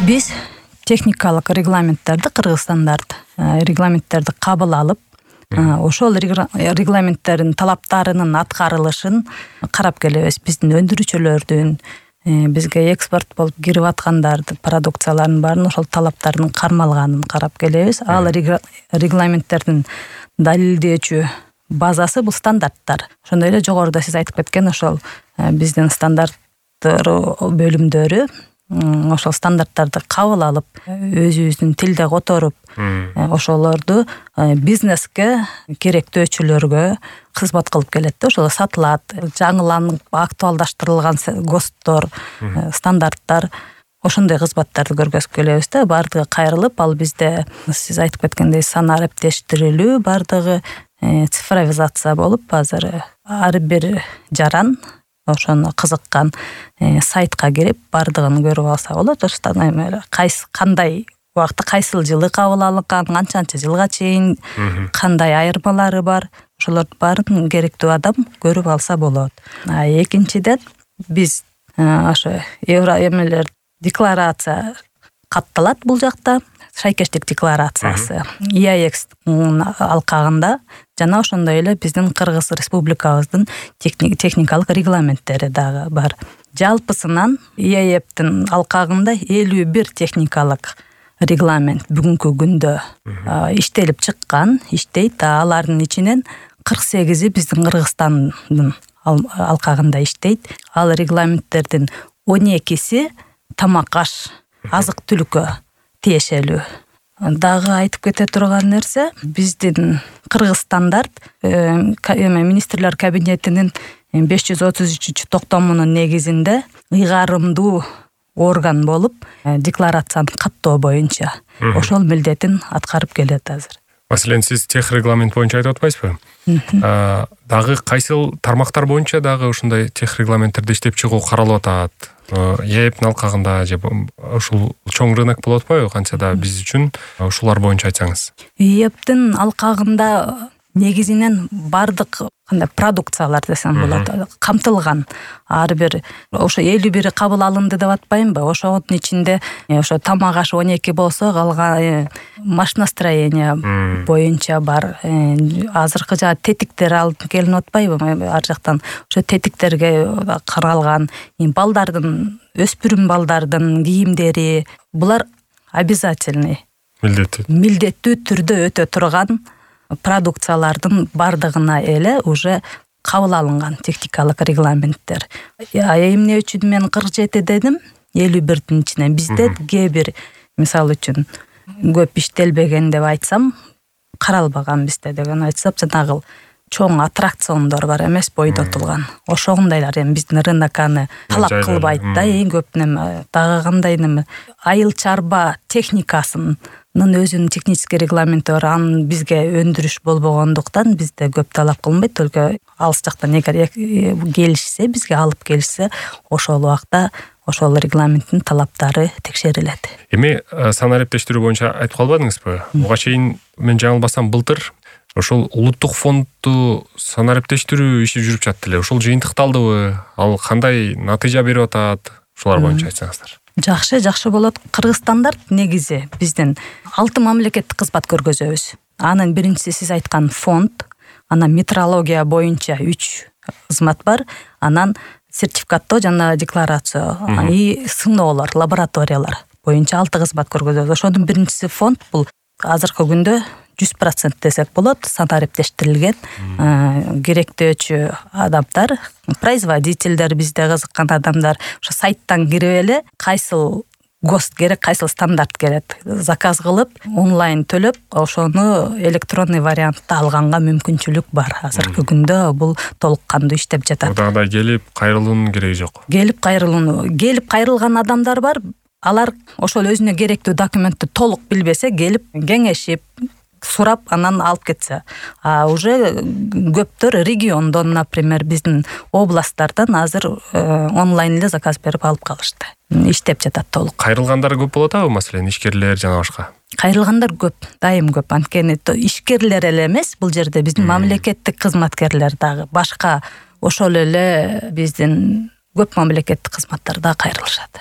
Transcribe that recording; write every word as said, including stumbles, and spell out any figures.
Биз техникалык регламенттерди, кыргызстандард регламенттерди кабыл алып, ошол регламенттердин талаптарынын аткарылышын карап келебиз. Биздин өндүрүүчүлөрдүн, бизге экспорт болуп кирип аткандардын продукцияларынын баарын ошол талаптардын кармалганын карап келебиз. Ал регламенттердин далилдөөчү базасы бул стандарттар. Ошондой эле жогоруда сиз айтып кеткен ошол биздин стандарттар бөлүмдөрү ошол стандарттарды кабыл алып, өзүбүздүн тилде которуп, ошолорду бизнеске, керектөөчүлөргө кызмат кылып келет да. Ошол сатылат, жаңыланып актуалдаштырылган ГОСТтор, стандарттар, ошондой кызматтарды көргөзүп келебиз да. Бардыгы кайрылып, ал бизде сиз айтып кеткендей санаа арептештирилүү, бардыгы цифровизация болуп, азыр ар бир жаран ошону кызыккан сайтка кирип бардыгын көрүп алса болот. Ошондо кайсы кандай убакытта кайсыл жылы кабыл алынган, канчанчы жылга чейин кандай айырмалары бар, ошолордун баарын керектүү адам көрүп алса болот. А экинчиден биз ошо евро эмелер декларация катталат бул жакта. Шайкештик декларациясы и а экстин алкагында жана ошондой эле биздин Кыргыз Республикабыздын техникалык регламенттери дагы бар. Жалпысынан и а эптин алкагында элүү бир техникалык регламент бүгүнкү күндө иштелип чыккан, иштейт. Алардын ичинен кырк сегизи биздин Кыргызстандын алкагында иштейт. Ал регламенттердин он экиси тамак-аш, азык-түлүккө тиешелүү. Дагы айтып кете турган нерсе, биздин Кыргызстандард министрлер кабинетинин беш жүз отуз үчүнчү токтомунун негизинде ыйгарымдуу орган болуп, декларацияны каттоо боюнча ошол милдетин аткарып келет азыр. Маселен, сиз тех регламент боюнча айтып атпайсызбы? Дагы кайсыл тармактар боюнча дагы ушундай тех регламенттерди иштеп чыгуу каралып атат? и а эптин алкагында же ушул чоң рынок болуп атпайбы? Канча да биз үчүн ушулар боюнча айтсаңыз. и а эптин алкагында негизинен бардык кандай продукциялар десем болот, камтылган. Ар бир ошо элүү бири кабыл алынды деп атпаймынбы? Ошонун ичинде ошо тамак-аш он эки болсо, калган машиностроение боюнча бар. Азыркы жана тетиктер алып келинип атпайбы? Ар жактан ошо тетиктерге каралган, балдардын, өспүрүм балдардын кийимдери, булар обязательный, милдеттүү милдеттүү түрдө өтө турган продукциялардын бардыгына эле уже кабыл алынган техникалык регламенттер. Эмне үчүн мен кырк жети дедим? элүү бирдин ичинен бизде кээ бир, мисалы үчүн, көп иштелбеген деп айтсам, каралбаган бизде деген айтсам, жанагы чоң аттракциондор бар эмес, бойдотулган. Ошондойлар эми биздин рынок аны талап кылбайт да, эң көп неме. Дагы кандай неме? Айыл чарба техникасынын өзүнүн технический регламенти бар. Анын бизге өндүрүш болбогондуктан бизде көп талап кылынбайт. Только алыс жактан эгер келишсе, бизге алып келишсе, ошол убакта ошол регламенттин талаптары текшерилет. Эми санаа арептештирүү боюнча айтып калбадыңызбы? Буга чейин мен жаңылбасам былтыр ошол улуттук фондду санаа арептештирүү иши жүрүп жатты эле. Ошол жыйынтыкталдыбы? Ал кандай натыйжа берип атат? Ушулар боюнча айтсаңыздар. Жакшы, жакшы болот. Кыргызстандар негизи биздин алты мамлекеттик кызмат көргөзөбүз. Анын биринчиси сиз айткан фонд, анан метрология боюнча үч кызмат бар, анан сертификаттоо жана декларация, и сыноолор, лабораториялар боюнча алты кызмат көргөзөбүз. Ошонун биринчиси фонд, бул азыркы күндө жүз процент десек болот, санаа арептештирилген керектөөчү адамдар, производительдер, бизде кызыккан адамдар ошо сайттан кирип эле кайсыл ГОСТ керек, кайсыл стандарт керек, заказ кылып, онлайн төлөп, ошону электронный вариантта алганга мүмкүнчүлүк бар. Азыркы күндө бул толук кандуу иштеп жатат. Дагы келип кайрылуунун кереги жок. Келип кайрылуунун, келип кайрылган адамдар бар. Алар ошол өзүнө керектүү документти толук билбесе, келип кеңешип, сурап, анан алып кетсе. А уже көптөр региондон, например, биздин областтардан азыр онлайн эле заказ берип алып калышты. Иштеп жатат толук. Кайрылгандар көп болот абы, маселен, ишкерлер жана башка? Кайрылгандар көп, дайым көп. Анткени ишкерлер эле эмес, бул жерде биздин мамлекеттик кызматкерлер дагы, башка ошол эле биздин көп мамлекеттик кызматтар да кайрылышат.